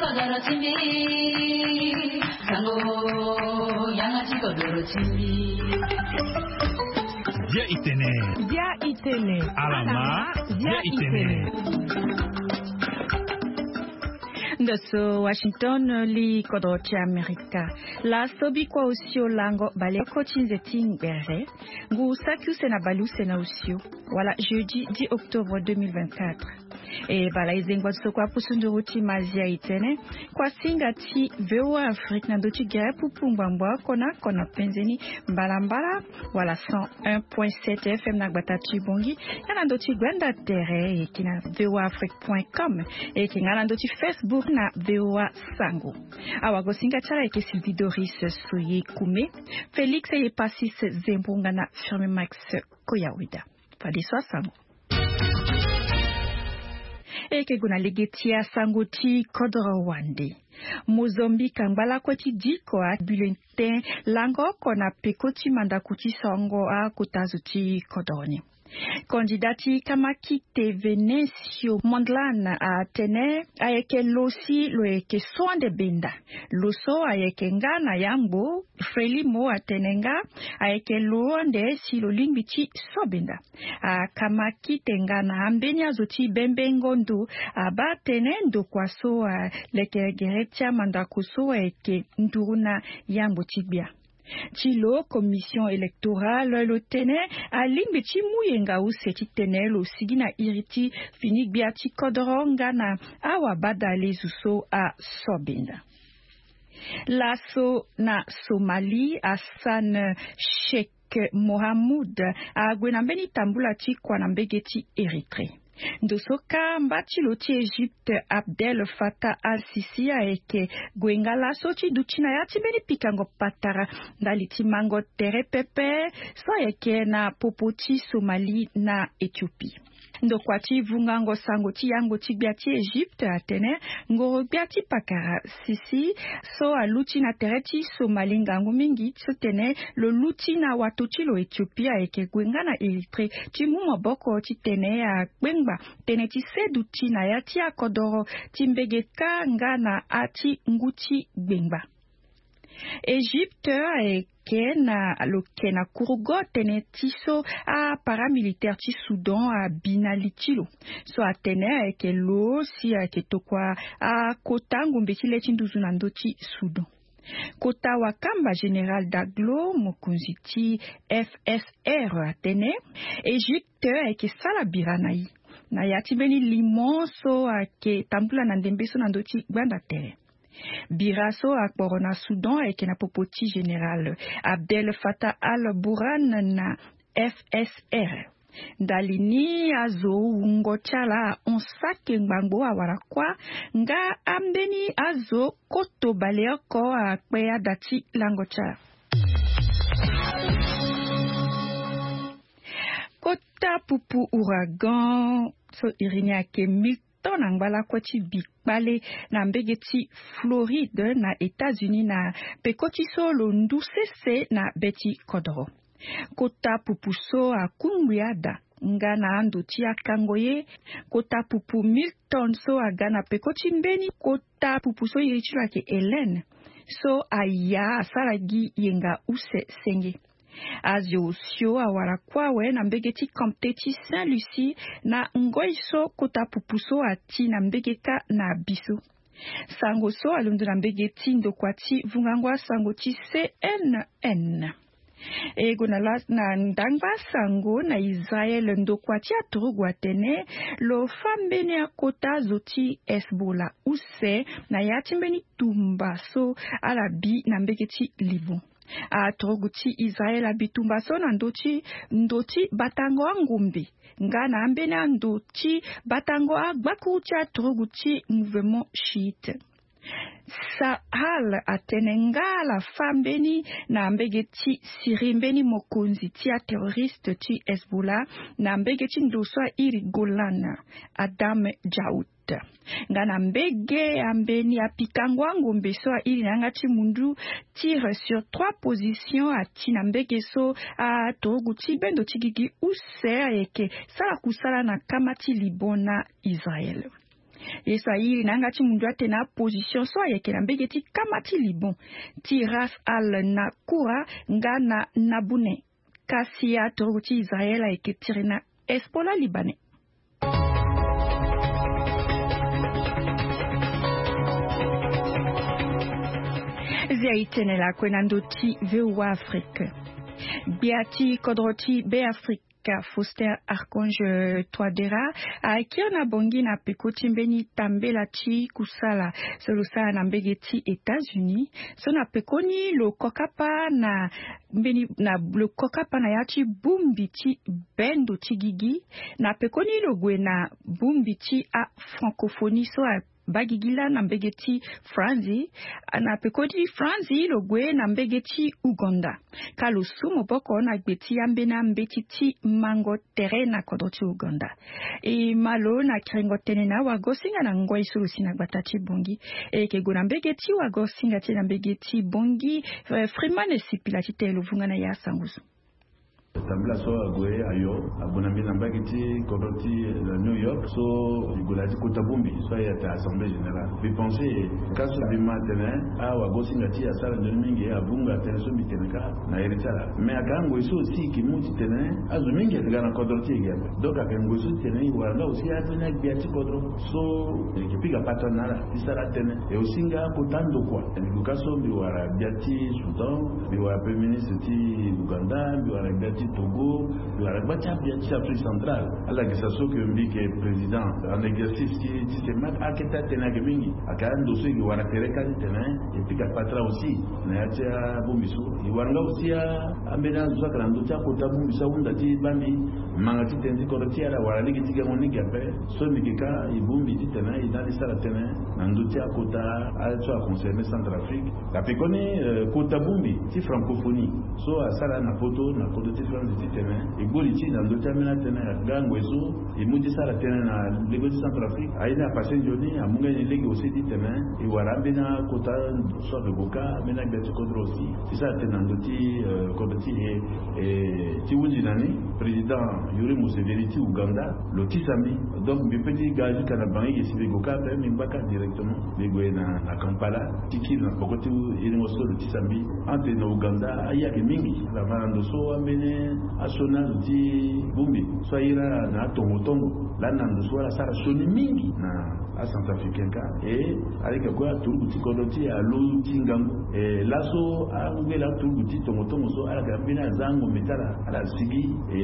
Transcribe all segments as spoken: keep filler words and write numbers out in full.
Bia itene. Bia itene. Alama. Bia itene. Ndo so Washington, li kodro ti Amerika. Laso bikua osio lango baleoko ti nze ti ngbere. Ngu saki use na baleuse na osio. Wala jeudi dix octobre deux mille vingt-quatre. E bala e zengba ti so kue apusu nduru ti Mazia Itene. Kuasinga ti V O A Afrique na ndö ti gere pupu ngbangbo oko na oko na penzeni mbalambala, wala cent un point sept F M na gbata ti Bongi, ya na ndö ti gbanda tere, e yeke na V O A Afrique point com, e yeke nga na ndö ti Facebook na V O A Sango. Awagosinga ti ala ayeke Sylvie Doris Soye Koume, Félix Eyepasis Zembo nga na Firme Max Koyawida. Fadeso asango. E yeke gue na lege ti asango ti kodro wande. Mozambique angba lakue ti diko abulletin lango oko na peko ti mandako ti songo akota zo ti kodro ni. Kandida ti Kamakite Venencio Mondlane atene ayeke lo si lo yeke so ande benda. Lo so ayeke nga na yangbo Frelimo atene nga ayeke lo ande si lo lingbi ti so benda. Akamakite nga na ambeni azo ti bembengo ndo abaa tënë ndokua so alekere gere ti amandako so ayeke nduru na yangbo ti gbia. Ti lo commission électorale lo tene alingbi ti mu yenga use titene lo sigi na iri ti fini gbia ti kodro nga na awabadalezo so asobenda. Laso na Somalie, Hassan Sheikh Mohamud ague na mbeni tambula ti kua na mbege ti Érythrée. Ndo so kâ mba ti lo ti Égypte Abdel Fattah al-Sisi ayeke gue nga laso ti duti na ya ti mbeni pikango patara ndali ti mango tere pepe so ayeke na popo ti Somalie na Éthiopie. Ndokua ti vungango sango ti yango ti gbia ti Égypte atene ngoro gbia ti pakara Sisi so aluti na tere ti Somalie ngangu mingi titene lo luti na wato ti lo Éthiopie ayeke gue nga na Érythrée ti mu maboko titene akpengba tënë ti seduti na ya ti akodoro ti mbege kâ nga na ati ngu ti gbengba. Égypte ayeke na lo yeke na kurugo tënë ti so aparamilitaire ti Soudan abi na li ti lo so atene ayeke lo si ayeke tokua akota ngombe ti le ti nduzu na ndö ti Soudan. Kota wakamba Général Daglo, mokonzi ti F S R, atene Égypte ayeke sara bira na ye na ya ti mbeni limo so ayeke tambula na ndembe so na ndö ti gbanda tere. Bira so akporo na Soudan ayeke na popo ti Général Abdel Fattah al-Burhan na F S R. Ndali ni azo wungo ti ala ahon sake ngbangbo awara kuâ nga ambeni azo koto baleoko akpe ada ti lango ti ala. Kota pupu ouragan so iri ni ayeke Milton angba lakue ti bi kpale na mbege ti Floride na États-Unis na peko ti so lo ndu sese na be ti kodoro. Kota pupu so akungbi ada nga na ando ti akango ye. Kota pupu Milton so aga na peko ti mbeni kota pupu so iri ti lo ayeke Hélène so aya asara gi yenga use senge. Azo osio awara kuâ awe na mbege ti comté ti Saint-Lucie na ngoi so kota pupu so ati na mbege kâ na bi so. Sango so alondo na mbege ti ndokua ti vungango asango ti C N N. E gue na la na ndangba sango na Israël, ndokua ti aturugu atene lo fâ mbeni akota zo ti Hezbollah use na ya ti mbeni tumba so ala bi na mbege ti Liban. Aturugu ti Israël abi tumba so na ndö ti ndo ti batango angombe nga na ambeni ando ti batango agbakuru ti aturugu ti mouvement chiite. Sahal atene nga ala fâ mbeni na mbege ti Syrie mbeni mokonzi ti aterroriste ti Hezbollah na mbege ti ndo so airi Golan, Adam Djaout. Nga na mbege ya mbeni apikango angombe so airi na yanga ti mundu, tir sur trois positions ati na mbege so aturugu ti bendo ti gigi use ayeke sara kusala na kama ti Liban na Israël. Ye so airi na yanga ti mundu atene aposition so ayeke na mbege ti kama ti Liban, ti Ras Al Nakoura nga na Naboune. Kasi aturugu ti Israël ayeke tiri na Hezbollah libanais. Zia itene lakue na ndo ti V O A Afrique. Gbia ti kodro ti Be Afrique, Faustin Archange Touadéra, akiri na bongi na peko ti mbeni tambela ti kusala so lo sara na mbege ti États-Unis, so na pekoni lo kokapa na mbeni na lo kokapa na ya ti bongbi ti bendo ti gigi, na pekoni lo gue na bongbi ti afrancophonie so abaa gigi laa na mbege ti Franzi. Na peko ti Franzi lo gue na mbege ti Ouganda. Ka lo su maboko na gbe ti ambeni ambeti ti mango tere na kodro ti Ouganda. E ma lo na kiringo tënë na wagosinga na ngoi so lo si na gbata ti Bongi. E yeke gue na mbege ti wagosinga ti e na mbege ti Bongi. Freeman Esipila ti tene lo vunga na ya sango so. Tambula so ague ayo, ague na mbeni na mbage ti kodro ti New York so e gue na ya ti kota bongbi so aye ata Assemblée Générale. Mbi pense ka so mbi ma atene awagosinga ti e asara nzoni mingi, abunga atene so mbi tene ka na iri ti ala. Mais aka ngoi so aussi e ke mu ti tene azo mingi ake ga na kodro ti e ge ape. Donc ake ngoi so ti tene e wara nga aussi ambeni agbia ti kodro so e ke pika patara na ala ti sara atene. E aussi nga kota ndokua. Mbi gue ka so mbi wara gbia ti Soudan, mbi wara premier ministre ti Ouganda, mbi wara gbia ti Togo, mbi wara gbia ti agbia ti Afrique centrale. Ala gi sa so ke mbi yeke président en exercice ti, ti CEMAC, akete atene ayeke mingi. Aka ndo so e ke wara tere ka ti tene e pika patara aussi na ya ti abongbi so. E wara nga aussi a, ambeni azo so ayeke na ndö ti akota bongbi so ahunda ti baa mbi manga ti tënë ti kodro ti e, ala wara lege ti gango ni ge ape. So mbi yeke ka e bongbi ti tene e na ali sara tënë na ndö ti akota aye so aconcerne Centrafrique. Ape koni, eh, kota bongbi ti francophonie so asara na poto na kodro ti France ti tene e gbori ti na ndö ti ambeni atënë nga ngoi so e mu ti sara tënë na lege ti Centrafrique. Aye ni apasse nzoni, amu nga ni lege aussi ti tene e wara ambeni akota so ayeke gue ka, ambeni agbia ti kodro aussi ti sara tënë na ndö ti, eh, kodro ti e. Eh, ti hunzi na ni, président Yoweri Museveni ti Ouganda lo tisa mbi. Donc mbi peut ti ga jusqu'à na Bangui ge si mbi gue ka ape, mbi ngba ka directement, mbi gue na, na Kampala ti kiri na peko ti iringo so lo tisa mbi. Ante na Ouganda aye ayeke mingi. Ala ma na ndo so ambeni asioni azo ti bongbi so aye laa na atongo tongo lani na ndo so ala sara sioni mingi na acentrafricain ka. E ala yeke kue aturugu ti kodro ti e alo ti ngangu. E laso angbela aturugu ti tongo tongo so ala yeke ambeni aza angombe ti ala, ala sigi. E,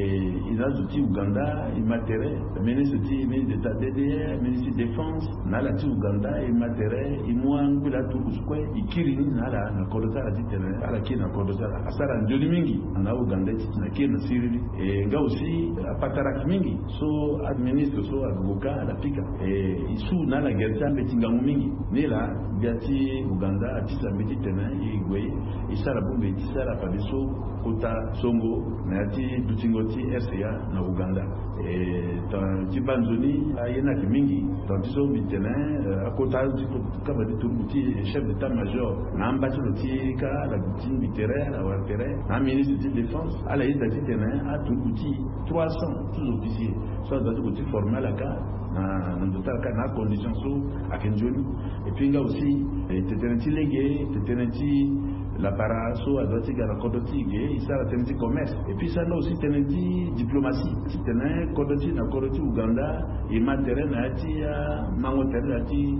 e na azo ti Ouganda e ma tere, ministre ti, ministre d'état, D D R, ministre ti défense, na ala ti Ouganda e ma tere, e mu angbela aturugu so kue e kiri ni na ala na kodro ti ala ti tene ala kiri na kodro ti ala. Asara nzoni mingi na Ouganda ti tene akiri na siriri. E nga aussi apatara ayeke mingi. So aministre so ague ka ala pika. E, e su na ala gere ti ambeti ngangu mingi. Ni laa gbia ti Ouganda atisa mbi ti tene e gue e sara bongbi ti sara fadeso kota songo na ya ti dutingo ti R C A na Ouganda. E, tan ti baa nzoni aye ni ayeke mingi. Tan ti so mbi tene, eh, akota ti kaba ti turugu ti chef d'état-major na amba ti lo ti ka ala ti mbi tere, ala wara tere na aministre ti défense, ala yeda ti tene aturugu ti trois cents sous-officiers so aza ti gue ti former ala ka na, na ndo ti ala ka na acondition so ayeke nzoni. Et puis nga aussi, eh, tetene ti lege, tetene ti lapara so adoit ti ga na kodro ti e ge, e sara tënë ti commerce. Et puis e sara nga aussi tënë ti diplomatie. Ti tene kodro ti e na kodro ti Ouganda e ma tere na ya ti amango tere na ya ti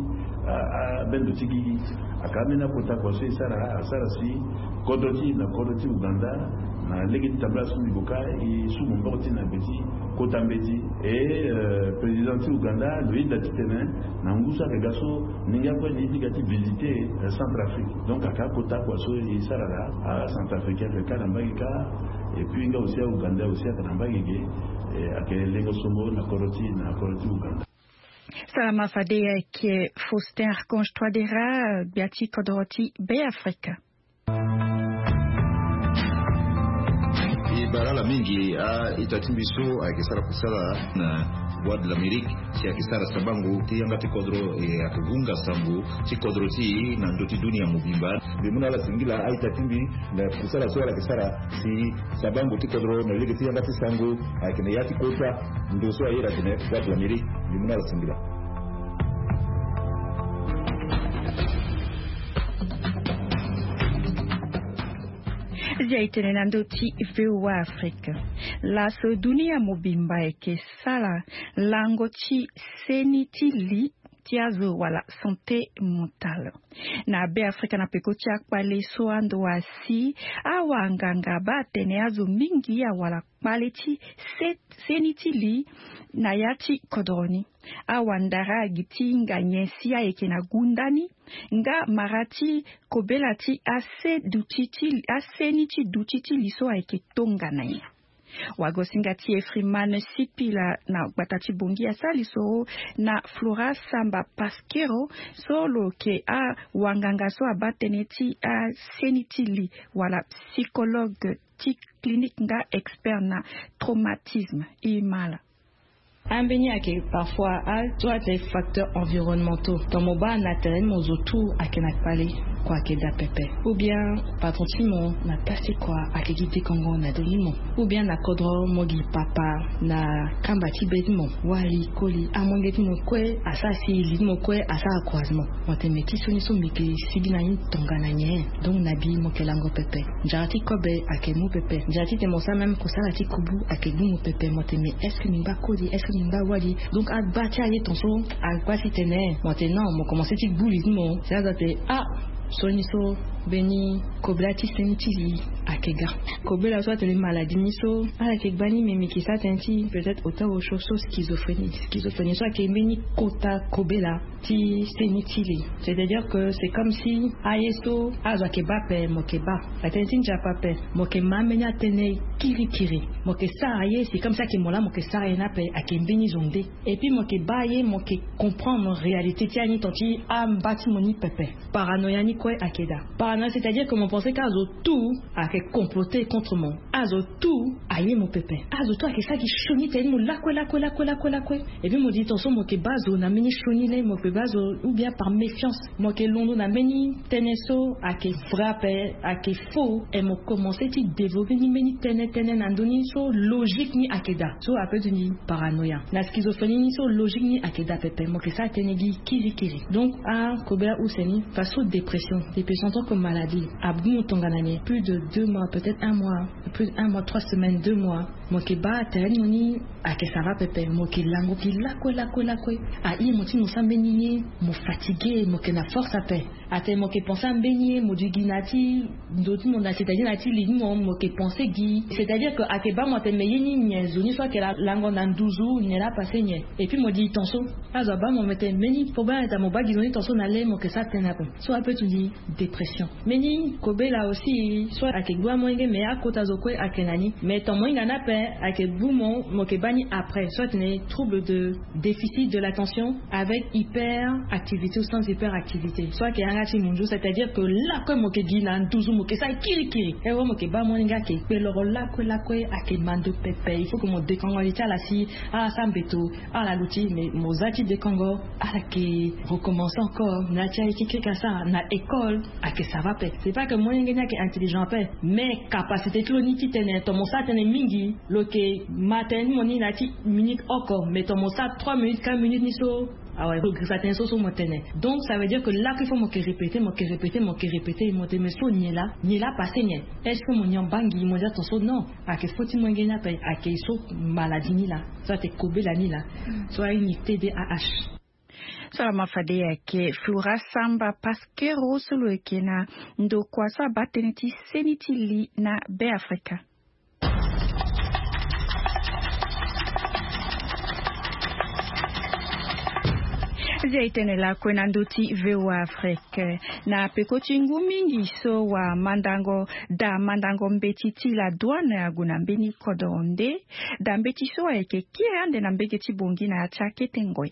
abendo ti gigi. Aka ambeni akota kua so e sara, asara si kodro ti e na kodro ti Ouganda na lege ti tambula so mbi gue ka e su maboko ti e na gbe ti kota mbeti. E, eh, président ti Ouganda lo yeda ti tene na ngu so ayeke ga so ni nga kue ni ye ti ga ti visiter, eh, Centrafrique. Donc aka akota kua so e sara laa, acentrafricain ayeke ka na mbage ka. Et puis nga aussi aougandais aussi ayeke na mbage ge. Eh, ayeke lengo songo na kodro ti, na kodro ti Ouganda. Salama fade, ayeke Faustin Archange Touadéra, gbia ti kodro ti Be Afrika. E bara ala mingi a-ita ti mbi so ayeke sara kusala na Voix de l'Amérique, si ayeke sara sabango ti yanga ti kodro, e ayeke hunga sango ti kodro ti e na ndö ti dunia mobimba. Mbi mu na ala singila a-ita ti mbi na kusala so ala yeke sara si sabango ti kodro na lege ti yanga ti sango ayeke na ya ti kota ndo so aye atene Voix de l'Amérique. Mbi mu na ala singila. Zia e tene na ndö ti V O A Afrique. Laso dunia mobimba eke sala lango ti seni ti li ti azo wala santé mentale. Na Be Afrika na peko ti akpale so ando asi, awanganga baa atene azo mingi awala kpale ti se- seni ti li na ya ti kodro ni. Awandara agi ti hinga nyen si ayeke na gunda ni, nga mara ti kobela ti ase duti ti aseni ti duti ti li so ayeke tongana nyen. Wagosinga ti Efriman Sipila na gbata ti Bongi asali so na Flora Samba Paskero, so lo yeke awanganga so abaa tënë ti aseni ti li wala psychologue ti clinique nga expert na traumatisme. E mala. Ambeni ayeke parfois a soit les facteurs environnementaux. Ton mo baa na tere ni mo zo tout ayeke na kpale, kua ayeke daa pepe, ou bien patron ti mo na place ti kua ayeke gi dekongo na ndo ni mo, ou bien na kodro mo gi papa na kamba ti be ti mo, wali koli amolenge ti mo kue asara si li ti mo kue asara croisement. Mo tene me ti so ni so mbi yeke sigi na ni tongana nyen? Donc na bi mo yeke lango pepe. Nzara ti kobe ayeke mu pepe. Nzara ti tene mo sara même kosala ti kubu ayeke gi mo pepe. Mo tene me est-ce que mbi ngba koli, est-ce que mbi ngba wali? Donc agba ti aye ton so agba ti tene. Mo tene non, mo komanse ti gbu li ti mo si azo atene ah, so ni so mbeni kobela ti seni ti li ayeke ga. Kobela so atene maladie ni so ala yeke gba ni, me mbi yeke sara tënë ti peut-être ota osio so schizophrénie. Schizophrénie so ayeke mbeni kota kobela ti seni ti li. C'est-à-dire que c'est comme si aye so azo ayeke baa ape mo yeke baa, atënë ti nzapa ape mo yeke ma ambeni atënë kirikiri. Mo yeke sara ye c'est comme si ayeke mo laa mo yeke sara ye ni ape, ayeke mbeni zo nde. Et puis mo yeke baa ye, mo yeke comprendre réalité ti ani ton ti amba ti mo ni pepe. Paranoïa ni kue ayeke daa. Paranoïa c'est-à-dire que mo pense ka azo tout ayeke comploter contre mo. Azo tout aye mo pepe. Azo tout ayeke sara gi sioni tene ni mo lakue lakue lakue lakue lakue. Et puis mo di ton so mo yeke baa zo na mbeni sioni laa mo yeke baa zo, ou bien par méfiance mo yeke londo na mbeni tënë so ayeke vrai ape, ayeke faux. Et mo komanse ti développer ni mbeni tënë tënë na ndö ni so logique ni ayeke daa. So ape ti ni paranoïa. Na schizophrénie ni so logique ni ayeke daa pepe, mo yeke sara tënë gi kirikiri. Donc akobela use ni façon dépression. Dépression en tant que maladie abu mo tongana nyen? Plus de deux mois, peut-être un mois, plus d'un mois, trois semaines, deux mois. Mo yeke baa tere ni mo ni ayeke sara pepe, mo yeke lango gi lakue lakue lakue. Aye mo ti mo sara mbeni ye, mo fatigué, mo yeke na force ape. Atene mo yeke pense ambeni ye, mo di gi na ya ti ndo ti mo na, c'est-à-dire na ya ti li ti mo, mo yeke pense gi. C'est-à-dire que ayeke baa mo atene me ye ni nyen, zo ni so ayeke la- lango na nduzu nyen laa apasse nyen. Et puis mo di ton so azo abaa mo, me tene mbeni problème ayeke daa, mo baa gi zo ni ton so na le mo yeke sara tënë ape. So ape ti ni dépression. Mbeni kobela aussi so ayeke gbu amolenge, mais akota zo kue ayeke na ni. Mais ton mo hinga ni ape ayeke gbu mo, mo yeke baa ni après. So atene trouble de déficit de l'attention avec hyperactivité ou sans hyperactivité. So ayeke yanga ti munzu, c'est-à-dire que lakue mo yeke gi na nduzu mo yeke sara kirikiri. E wo mo yeke baa amolenge ayeke kpe loro lakue lakue, ayeke ma ndo pepe. Il faut que mo dekongo li ti ala si ala sara mbeto, ala luti, mais mo za ti dekongo, ala yeke recommencer encore na ya ti aye ti kirikiri asara na école. Ayeke ça va ape. C'est pas que molenge ni ayeke intelligent ape, mais capacité ti lo ni ti tene ton mo sara tënë mingi, lo yeke ma tënë ti mo ni na ya ti minute oko, mais ton mo sara trois minutes, quatre minutes ni so, awe, progrès atene so so mo tene. Donc ça veut dire que là qu'il faut mo yeke répéter, mo yeke répéter, mo yeke répéter, mo tene me so nyen laa, nyen laa apasse nyen? Est-ce que mo nyon bangi? Mo di aton so non, ayeke fo ti molenge ni ape, ayeke so maladie ni laa. So atene kobela ni laa. So aye ni T D A H. So alama fade ayeke Flora Samba Paskero so lo yeke na ndokua so abaa tënë ti seni ti li na Be Afrika. Zia e tene lakue na ndö ti V O A Afrique. Na peko ti ngu mingi so wamandango, daa mandango mbeti ti la douane ague na mbeni kodro nde daa mbeti so ayeke kiri ande na mbege ti Bongi na ya ti akete ngoi.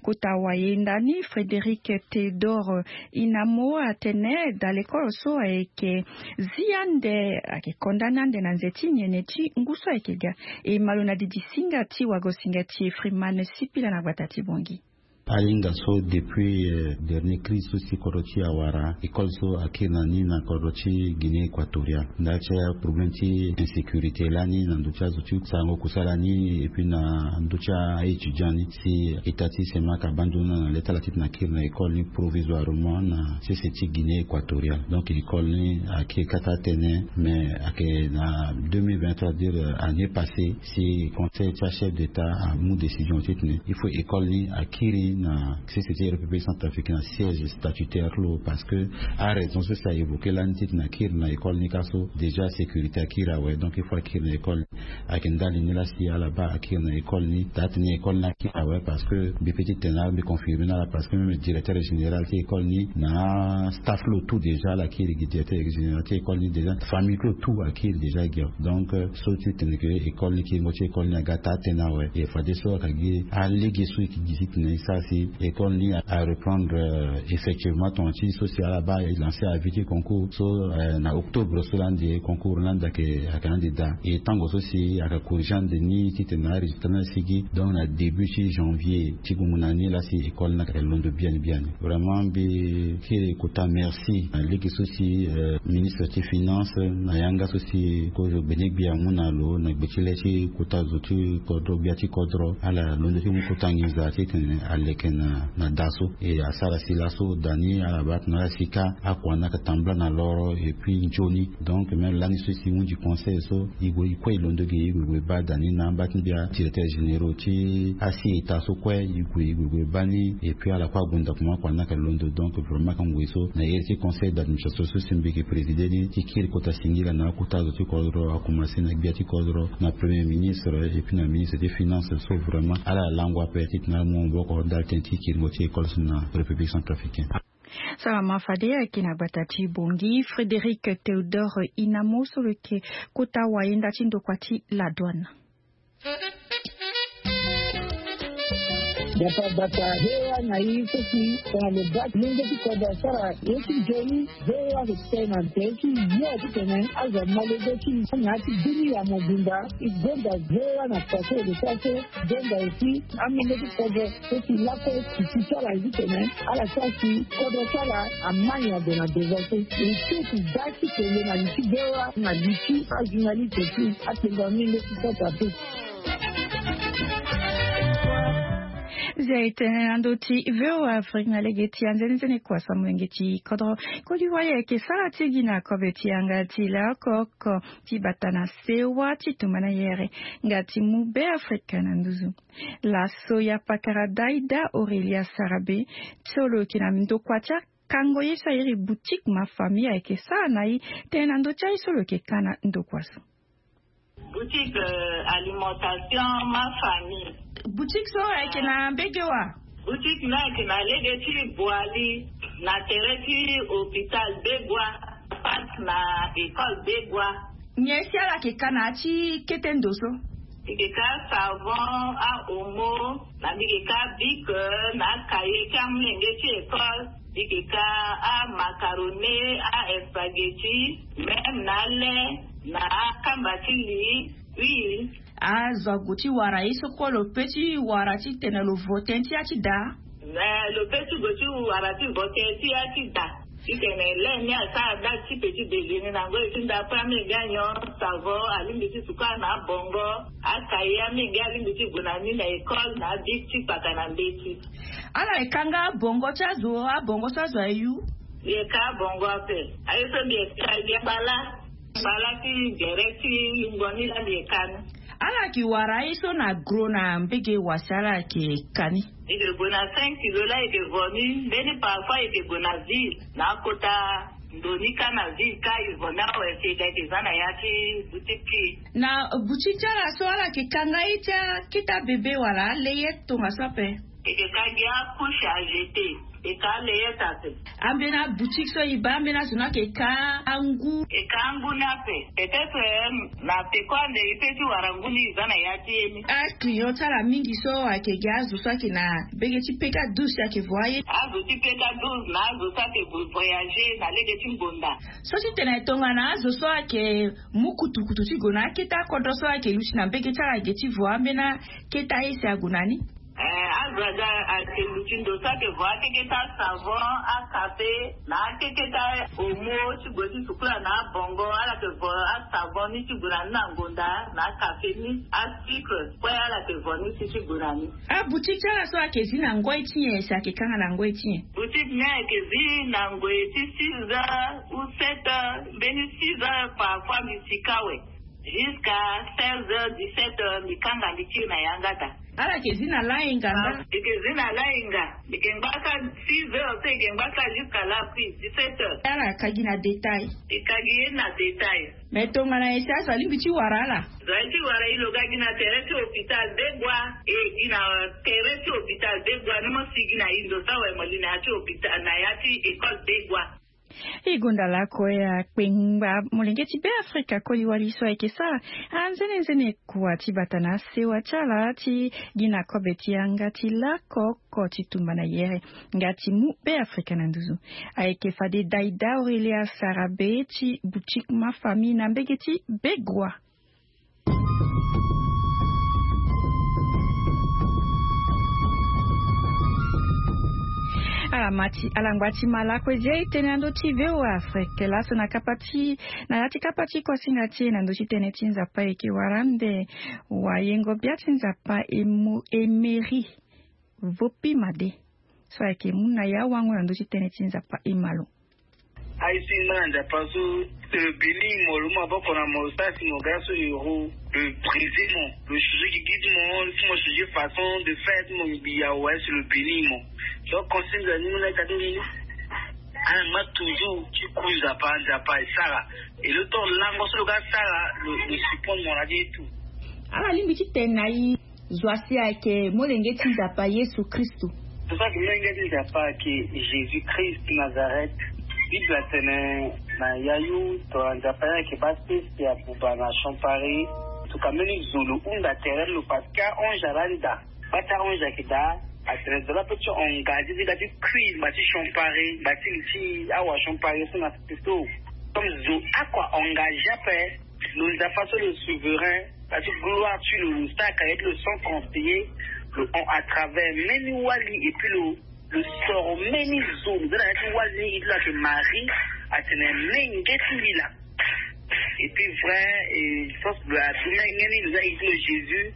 Kota wayenda ni Frédéric Théodore Inamo atene daa lekolo so ayeke zi ande, ayeke condamné ande na nze ti nyen ti ngu so ayeke ga. E ma lo na didi singa ti wagosinga ti Freeman Sipila na gbata ti Bongi. Alinga so depuis dernier crise so si kodro ti awara école so akiri na ni na kodro ti Guinée équatoriale nda ti aproblème ti insécurité lani na ndo ti azo ti sarango kusala ni et puis na ndo ti a étudiant ni si état ti semak abandona na letala ti tena akiri na école ni provisoirement na sese ti Guinée équatoriale. Donc école ni akiri kata atene mais ake na deux mille vingt-trois dire année passée si conseil ti achef d'état amu décision ti tene il faut école ni akiri na sese ti république centrafricaine na siège statutaire lo parce que araison so si a évoqué lani ti tene akiri na école ni ka so déjà sécurité akiri awe donc il faut akiri na école ni. Ayeke ndali ni laa si ala baa akiri na école ni daa tena école ni akiri awe parce que mbi pe ti tene na ala mbi confirmer na ala parce que même directeur général ti école ni na staff lo tout déjà ala kiri gi directeur général ti école ni déjà famille ti lo tout akiri déjà gi awe. Donc so ti tene ke école ni kiringo ti école ni aga taa tena awe e fadeso aka gi alege so e ke gi ti tene e sara si école ni areprendre effectivement tongana ti so si ala baa e lancer avis ti concours so na octobre so laa ande concours laa ande ayeke ande daa e tango so si aka corriger ande ni ti tene na arésultat ni asigi donc na début ti janvier ti gongo na ni laa si école ni aka londo biani biani. Vraiment mbi kiri kota merci na lege so si ministre ti finance na yanga so si kozo gbene gbia amu na lo na gbe ti le ti kota zo ti kodro gbia ti kodro ala londo ti mu kota nginza ti tene aleke na daa so e asara si laso daa ni ala baa tena ala si ka akua ni aka tambula na loro et puis nzoni. Donc même lani so si hunzi conseil so e gue e kue e londo gi e gue e gue e baa daa ni na amba ti mbia directeur généraux ti asi état so kue e gue e gue e gue e baa ni et puis ala kue ague ndokua akua ni aka londo donc vraiment aka ngoi so na iri ti conseil d'administration so si mbi yeke présider ni ti kiri kota singila na akota zo ti kodro akomanse na gbia ti kodro na premier ministre et puis na ministre ti finance so vraiment ala lango ape ti tena ala mu maboko ndali tënë ti kiringo ti école so na république centrafricaine. Salama fade ayeke na gbata ti bongi frédéric théodore inamo so lo yeke kota wayenda ti ndokua ti la douane. Dapa bata hewa na i so si tongana lo baa ti lenge ti kodro asara ye ti nzoni. Hewa lo tene na nze ti yo ti tene azo amolenge ti na ya ti dunia mobimba. E gonda hewa na kua so e lo sara so gonda aussi amolenge ti kodro so si lakue ti ti ti ala ye ti tene ala sara si kodro ti ala amai ade na devant so. E ti ti daa ti kele na li ti hewa na li ti ajournaliste ti atengo amolenge ti kota pe. Zia e tene na ndö ti voa afrique na lege ti anzenenzene kua sa molenge ti kodro. Koli wali ayeke sara ti gi na kobe ti yanga ti laoko oko ti bata na sewa ti tumba na yere nga ti mu be afrika na nduzu. Laso ya pakara daida aurelia sarabe so lo yeke na ndokua ti akango ye so airi boutique ma famille ayeke sara na i tene na ndö ti aye so lo yeke ka na ndokua so. Boutique alimentation ma famille. Boutique so ayeke na mbege wa? Boutique ni ayeke na lege ti boali na tere ti hôpital begua, face na école begua. Nyen si ala yeke ka na ya ti kete ndo so? Mbi yeke ka savon, ahomo, na mbi yeke ka bic, na akaye ti amolenge ti école. Mbi yeke ka amacarone, aespaghetti, même na ale, na akamba ti li. Oui. Azo ague ti wara ye so kue lo pe ti wara titene lo vo tënë ti ya ti daa? Mais lo pe ti gue ti wara ti vo tënë ti ya ti daa. Titene le ni asara date ti petit déjeuner na ngoi ti ndapre amenge anyon, savon alingbi ti suka na abongo, akaye amenge alingbi ti gue na ni na école na abik ti kpaka na mbeti. Ala yeke ka nga abongo ti azo abongo so azo ayu? Mbi yeke ka abongo ape. Aye so mbi yeke ka mbi yeke bala. Bala ti gere ti lungo ni laa mbi yeke ka ni. Ala yeke wara aye so na gro na mbege wa si ala yeke ka ni? Mbi yeke gue na cinq kilo laa mbi yeke vo ni. Mbeni parfois mbi yeke gue na ville na akota ndo ni ka na ville ka mbi vo ni awe si e ga yeke za na ya ti boutique ti e. Na boutique ti ala so ala yeke ka nga ye ti akete abebe wala aleye tongaso ape? Mbi yeke ka gi acouche à jeter. E ka aleye ta ape. Ambeni aboutique so e baa ambeni azo ni ayeke ka angu? E ka angu ni ape. Peut-être na peko ande e pe ti wara ngu ni e za na ya ti e ni. Aclient ti ala mingi so ayeke gi azo so ayeke na mbege ti peka douze si ayeke vo aye? Azo ti peka douze na azo so ayeke gue voyager na lege ti ngbonda. So titene tongana azo so ayeke mu kutukutu ti gue na akete akodro so ayeke luti na mbege ti ala ge ti vo ambeni akete aye si ague na ni? Azo aga ake luti ndo so ake vo akeketa savon, akafe na akeketa omo ti gue ti sukula na abongo. Ala ke vo asavon ni ti gue na ni na ngonda na akafe ni, asucre kue ala ke vo ni ti ti gue na ni. Aboutique ti ala so ake zi na ngoi ti nyen? Si ake kanga na ngoi ti nyen? Boutique ni ake zi na ngoi ti six heures ou sept heures, mbeni six heures parfois mbi sika awe. Jusqu'à seize heures, dix-sept heures mbi kanga mbi kiri na yanga daa. Ala ke zi na lainga nga? Mbi ke zi na lainga. Mbi ke ngba ka six heures so mbi ke ngba ka jusqu'à la prise dix-sept heures. Ala ka gi na détail? Mbi ka gi ye na détail. Mais tongana nyen si azo alingbi ti wara ala? Zo aye ti wara e lo ga gi na tere ti hôpital Begua. E gi na tere ti hôpital Begua ni mo si gi na e ndo so awe mo li na ya ti hôpital na ya ti école Begua. E gonda lakue akpengba molenge ti Beafrika koli wali so ayeke sara anzenenzene kua ti bata na asewa ti ala ti gi na kobe ti yanga ti lako oko ti tumba na yere nga ti mu Beafrika na nduzu. Ayeke fade Daida Aurelia Sarabe ti boutique Ma Famille na mbege ti Begua. Ala ma ti ala ngba ti ma lako e zi aye tënë na ndö ti V O A Afrique laso na kapa ti na ya ti kapa ti kuasinga ti e na ndö ti tënë ti Nzapa e yeke wara ande wayengo bia ti Nzapa Emo- Emery Vopi Made so ayeke mu na e awango na ndö ti tënë ti Nzapa e ma lo. Aye so e ngba na Nzapa so, si lo beni mo, lo mu maboko na mo, lo sara si mo ga so euro, lo brise mo, lo changer gigi ti mo, ti mo changer façon de faire ti mo, mbi awe si lo beni mo. Donc consigne na ni mu na ita ti mbi ni. Ala ngba toujours ti ku Nzapa, Nzapa e sara. Et lo tonga lango so lo ga sara, lo, lo surprendre mo na ye tout. Ala lingbi ti tene na e. Zo asi ayeke molenge ti Nzapa Yesu Kristo. Zo so ayeke molenge ti Nzapa ayeke Jésus Christ Nazareth. Bible atene na yayu tongana Nzapa ni ayeke baa sese abuba na champari. Tongana mbeni zo lo hunda tere ti lo parce que ange alaa ni daa. Baa ti ange ayeke daa atene zo laa pe ti engagé ti ga ti kui ngba ti champari, ngba ti li ti awa champari so na sese so. Comme zo oko a engagé ape. Lo Nzapa so lo souverain, na ti gloire ti lo, lo sara ka ye ti lo sans conseiller, lo hon à travers mbeni wali, et puis lo, lo soro mbeni zo, lo za na ya ti wali ni, ye ti lo ayeke Marie, atene menge ti mbi laa. Et puis vrai, et je pense que lo adu menge ni, lo za ye ti lo Jésus,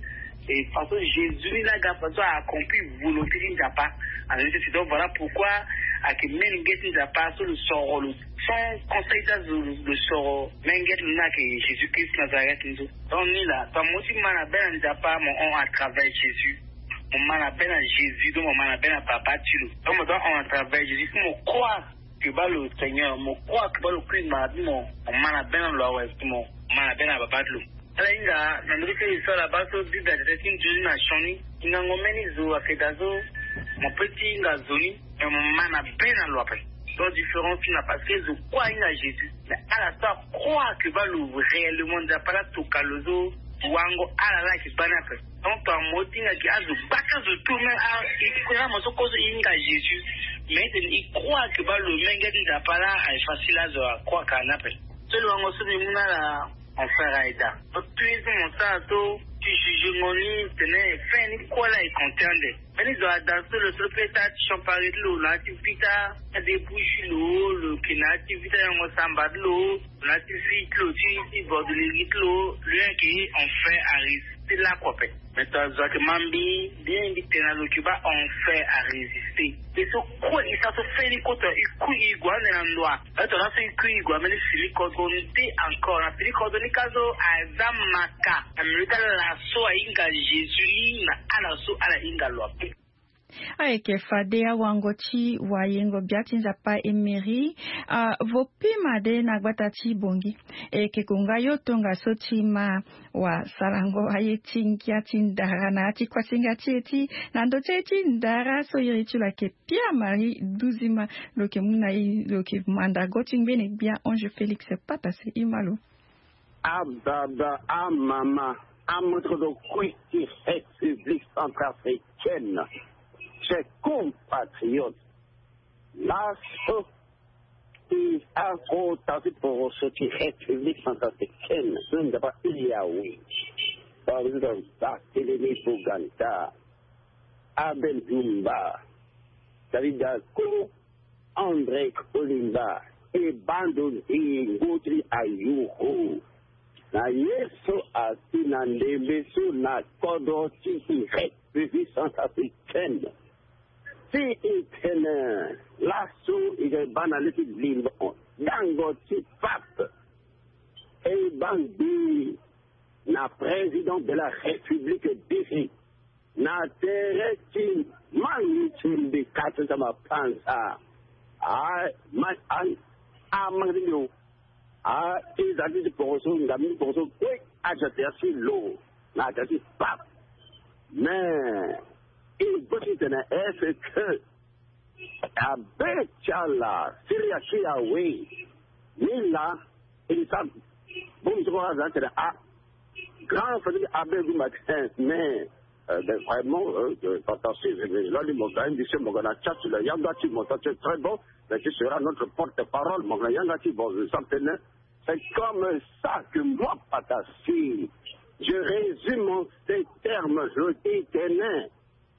et façon Jésus ni laa aga façon a accompli volonté ti Nzapa. Alors, c'est donc voilà pourquoi ayeke menge ti Nzapa so lo soro lo sans conseil ti azo, lo soro menge ti lo ni ayeke Jésus Christ Nazareth ni so. Donc ni laa, tongana mo ti ma na be na Nzapa, mo hon à travers Jésus. Mo ma na be na Jésus, donc mo ma na be na Baba ti lo. Donc mo doit hon à travers Jésus, si mo croire que baa lo Seigneur, mo croire que baa lo kui ngba ti mo, mo ma na be na lo awe, si mo ma na be na Baba ti lo. Ala hinga na ndö ti histoire laba so Bible atene ti nzoni na sioni. Hingango mbeni zo ayeke daa so mo pe ti hinga nzoni, me mo ma na be na lo ape. Donc différence ti na parce que zo kue ahinga Jésus, mais ala so acroire que baa lo réellement Nzapa laa atoka lo so wango ala laa ayeke baa ni ape. Donc tongana mo ti hinga gi azo gbaka zo tout même a e kue na mo so kue so e hinga Jésus, mais e tene e croire que baa lo menge ti Nzapa laa aye facile azo acroire ka ni ape. So lo wango so mbi mu na ala. Mon frère Aïda, mo tui so mo sara so ti jugengo ni tene fin ni kue laa e compter ande. Mbeni zo ada so lo so lo pe sara ti champari ti lo na ya ti vita, ti adébouche ti lo, lo yeke na ya ti vita yango samba ti lo, na ya ti vie ti lo ti, ti borderie ti lo, lo yeke en fait à résister lakue ape. Mais tongana zo ayeke ma mbi, bien mbi tene na lo yeke baa en fait à résister. E so kue e sara so feni kue tongana e kui e gue ande na ndoa. Aye tongana laso e kui e gue ambeni fini kodro nde encore na fini kodro ni ka so aza maka na milieu ti ala so ahinga Jésus ni na ala so ala hinga lo ape. Ayeke fade awango ti wayengo bia ti Nzapa Emery, ah, vo pima de na gbata ti Bongi. E yeke konga yo tongaso ti ma wasarango aye ti ngia ti ndara na ya ti kuasinga ti e ti na ndo ti aye ti ndara so iri ti lo ayeke Pierre Marie Duzima. Lo yeke mu na e, lo yeke mandango ti ngbene gbia Ange Félix Patase. E ma lo. Ababa, amama, amoto kue ti République centrafricaine, chers compatriotes, laso ti akota ti poroso ti République centrafricaine so Nzapa ti Yawe, président Barthélémy Boganda, Abel Dumba, David Dako, André Kolimba, e bando nzingo ti ayuru. Na ye so asi na ndembe so na kodro ti République centrafricaine. Si e tene laso e ga baa na leki limbo dango ti pape. E baa ngbii na président de la République défait na tere ti mangi ti mbi kasi sama panza. A ma a a mangi ti mbi o. A e za ti ti poroso ngam ti poroso kue. Aza ti asi lo na aza ti pape. Mais e boti tene est-ce que abe ti ala siri asi awe? Ni la e sa bongbi so kue aza tene a grand famille abe gumba ti mais. Vraiment pata si lali mo ga indi si mo ga na tia ti la yanga ti mo ta ti très bon. Mais tu seras notre porte-parole mo ga na yanga ti bon. Sans tene c'est comme ça que moi pata si je résume en ces termes. Je dis tene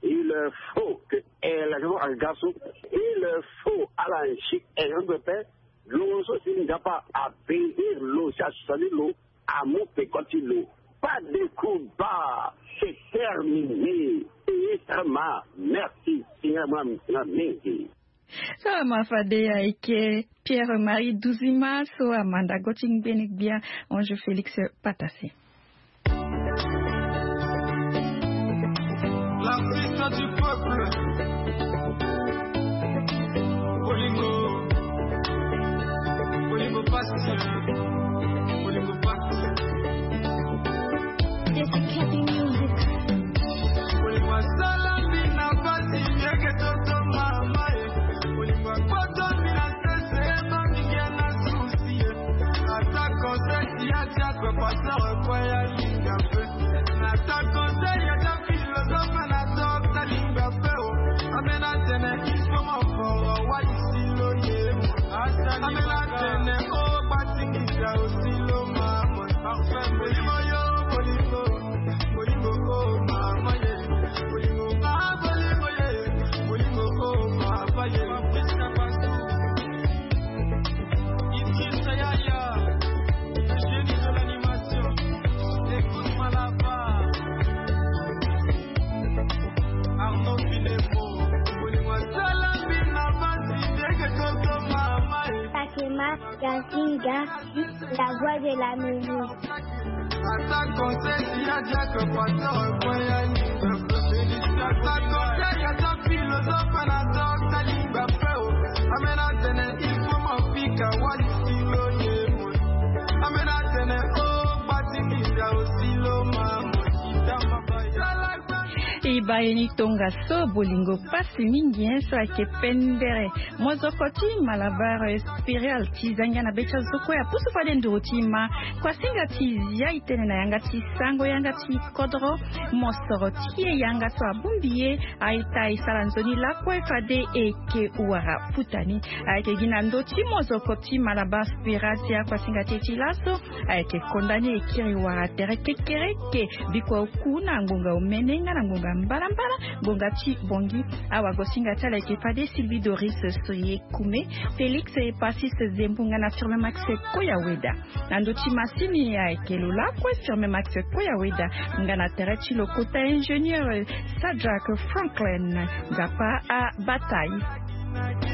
il faut que élection aga so il faut ala nsi élection pepe. Lo so si nzapa abénir lo si asali lo amu peko ti lo. Pas de combat, c'est terminé. Ministre ma merci. Singila mwa mwa mingi. So ama fade ayeke Pierre Marie Duzima so amandango ti ngbene gbia Ange Félix Patase. L'artiste du peuple. Bolingo. Bolingo pasi. Bolingo pasi. Bolingo asala mbi na pasi yeke toto mama e. Bolingo akota mbi na sese ebangi nge na susi e. Ata conseil ti ya ti akwe pasteur ekwe ya linga mpe. Nata conseil ya ta philosophe na docteur lingba pe o. Amena tene il faut mo foro wa isi lo ye. Amena tene o gbatingisa osi lo mama. Molimo yo, molimo, molimo o mama ye. Molimo ma, molimo ye. Molimo o mama ye. Idrissa Yaya, le génie de l'animation. Écoute-moi là-bas. Arnaud Filemo, Bolingo asala mbi na pasi ndenge toto mama e. Fatima Gazinga, la voix de la maison. Ata conseil ti ya diacre pasteur ekwe ya linga. Ata conseil ya ta philosophe na docteur lingba pe o. Amena tene il faut mo pika wali silo ye mo. Amena tene o gbatingisa osi lo mama. Itama bai. E baa ye ni tongaso. Bolingo pasi mingi hein, so ayeke pendere. Mozoko ti Malabar Spécial ti zangia na be ti azo kue apusu fade nduru ti ma. Kuasinga ti zia e tene na yanga ti sango yanga ti kodro. Mosoro ti e yanga so abongbi ye. Aita e sara nzoni lakue fade e yeke wara futa ni. Ayeke gi na ndö ti mozoko ti Malabar Spécial ti akuasinga ti e ti laso. Ayeke konda ni e kiri wara tere kekereke. Bikua oku na ngonga omene nga na ngonga mbalambala. Ngonga ti bongi. Awagosinga ti ala ayeke fade Sylvie Doris Soye Kume, Félix Epasis Zembu nga na Firme Max Koyaweda. Na ndö ti masini ayeke lo lakue Firme Max Koyaweda. Nga na tere ti lo kota ingénieur Sadrak Franklin. Nzapa abata e.